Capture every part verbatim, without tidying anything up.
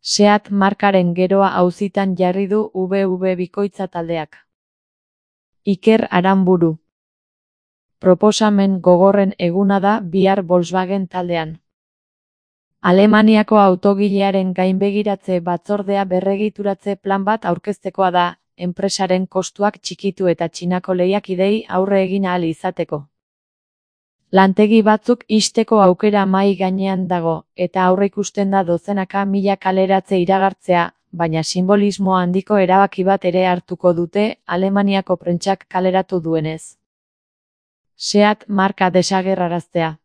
Seat markaren geroa auzitan jarri du V W Bikoitza taldeak. Iker Aranburu. Proposamen gogorren eguna da bihar Volkswagen taldean. Alemaniako autogilearen gainbegiratze batzordea berregituratze plan bat aurkeztekoa da, enpresaren kostuak txikitu eta Txinako lehiakidei aurre egin ahal izateko. Lantegi batzuk ixteko aukera mahai gainean dago, eta aurreikusten da dozenaka mila kaleratze iragartzea, baina sinbolismo handiko erabaki bat ere hartuko dute, Alemaniako prentsak kaleratu duenez. Seat marka desagerraraztea.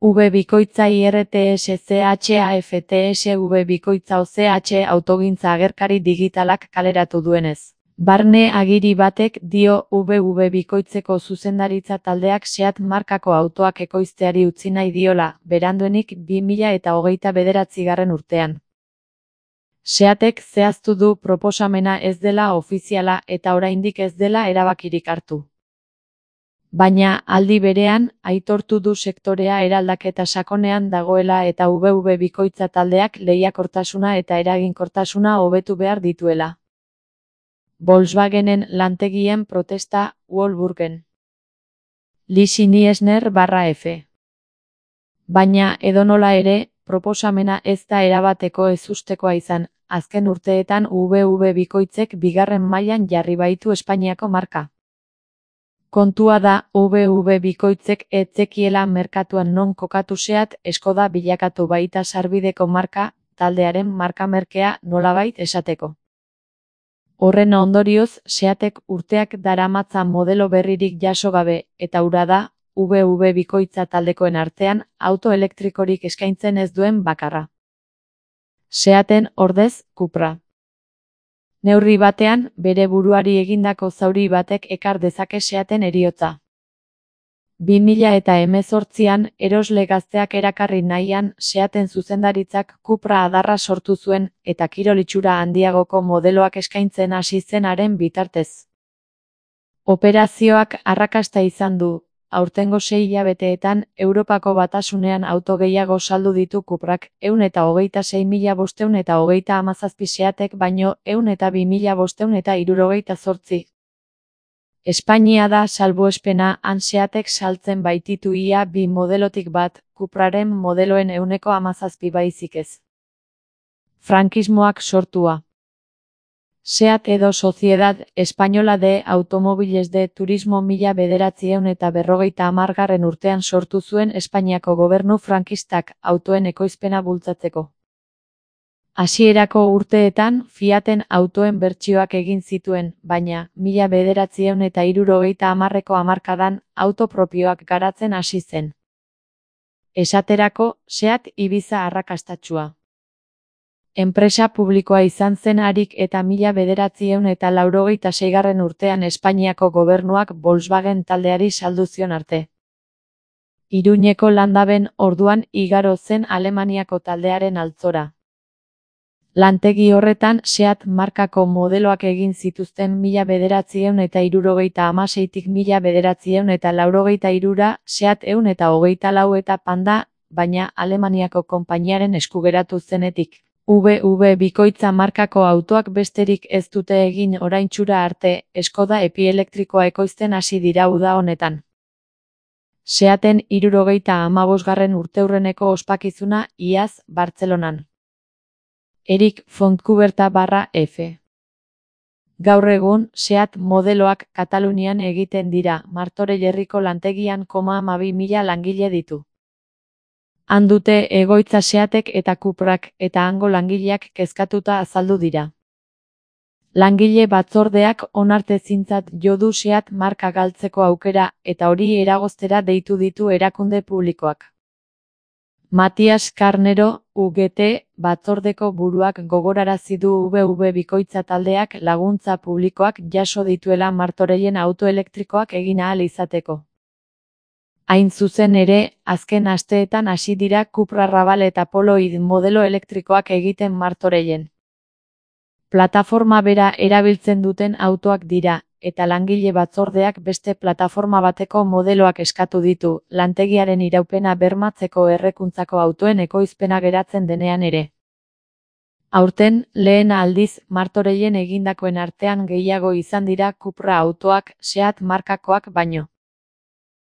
V Bikoitza I R T S C H A F T S V Bikoitza O C H autogintza agerkari digitalak kaleratu duenez. Barne agiri batek dio V W Bikoitzeko zuzendaritza taldeak Seat markako autoak ekoizteari utzi nahi diola, beranduenik bi mila hogeita bederatzigarren urtean. Seatek zehaztu du proposamena ez dela ofiziala eta oraindik ez dela erabakirik hartu. Baina, aldi berean, aitortu du sektorea eraldaketa sakonean dagoela eta V W Bikoitza taldeak lehiakortasuna eta eraginkortasuna hobetu behar dituela. Volkswagenen lantegien protesta, Wolfsburgen. Lisi Niesner barra F. Baina, edonola ere, proposamena ez da erabateko ezustekoa izan, azken urteetan V W Bikoitzek bigarren mailan jarri baitu Espainiako marka. Kontua da, V W Bikoitzek ez zekiela merkatuan non kokatu Seat Skoda bilakatu baita sarbideko marka, taldearen markamerkea nolabait esateko. Horren ondorioz, Seatek urteak daramatza modelo berririk jaso gabe, eta hura da, V W Bikoitza taldekoen artean, auto elektrikorik eskaintzen ez duen bakarra. Seaten ordez, Cupra. Neurri batean, bere buruari egindako zauri batek ekar dezake Seaten heriotza. bi mila hemezortzian, erosle gazteak erakarri nahian, Seaten zuzendaritzak Cupra adarra sortu zuen, eta kirol itxura handiagoko modeloak eskaintzen hasi zenaren bitartez. Operazioak arrakasta izan du, aurtengo sei hilabeteetan, Europako Batasunean auto gehiago saldu ditu Cuprak, ehun eta hogeita sei mila bostehun eta hogeita hamazazpi Seatek baino, ehun eta bi mila bostehun eta hirurogeita zortzi. Espainia da salbuespena, han Seatek saltzen baititu ia bi modelotik bat, Cupraren modeloen ehuneko hamazazpi baizik ez. Frankismoak sortua. Seat edo Sociedad Española de Automóviles de Turismo mila bederatziehun eta berrogeita hamargarren urtean sortu zuen Espainiako gobernu frankistak autoen ekoizpena bultzatzeko. Hasierako urteetan Fiaten autoen bertsioak egin zituen, baina, mila bederatziehun eta hirurogeita hamarreko hamarkadan, auto propioak garatzen hasi zen. Esaterako, Seat Ibiza arrakastatsua. Enpresa publikoa izan zen harik eta mila bederatziehun eta laurogeita seigarren urtean Espainiako gobernuak Volkswagen taldeari saldu zion arte. Iruñeko Landaben orduan igaro zen Alemaniako taldearen altzora. Lantegi horretan Seat markako modeloak egin zituzten mila bederatziehun eta hirurogeita hamaseitik mila bederatziehun eta laurogeita hirura Seat ehun eta hogeita lau eta Panda, baina Alemaniako konpainiaren eskugeratu zenetik. V W Bikoitza markako autoak besterik ez dute egin oraintxura arte, Skoda epielektrikoa ekoizten hasi dira uda honetan. Seaten hirurogeita hamabosgarren urteurreneko ospakizuna iaz Bartzelonan. Erik Fontcuberta barra F. Gaur egun, Seat modeloak Katalunian egiten dira, Martorell-herriko lantegian koma hamabi mila langile ditu. Han dute egoitza Seatek eta Cuprak eta hango langileak kezkatuta azaldu dira. Langile batzordeak onartezintzat jo du Seat marka galtzeko aukera eta hori eragoztera deitu ditu erakunde publikoak. Matias Carnero, U G T, batzordeko buruak gogorarazi du V W Bikoitza taldeak laguntza publikoak jaso dituela Martorellen auto elektrikoak egin ahal izateko. Hain zuzen ere, azken asteetan hasi dira Cupra Raval eta Polo-id modelo elektrikoak egiten Martorellen. Plataforma bera erabiltzen duten autoak dira, eta langile batzordeak beste plataforma bateko modeloak eskatu ditu, lantegiaren iraupena bermatzeko errekuntzako autoen ekoizpena geratzen denean ere. Aurten, lehen aldiz, Martorellen egindakoen artean gehiago izan dira Cupra autoak Seat markakoak baino.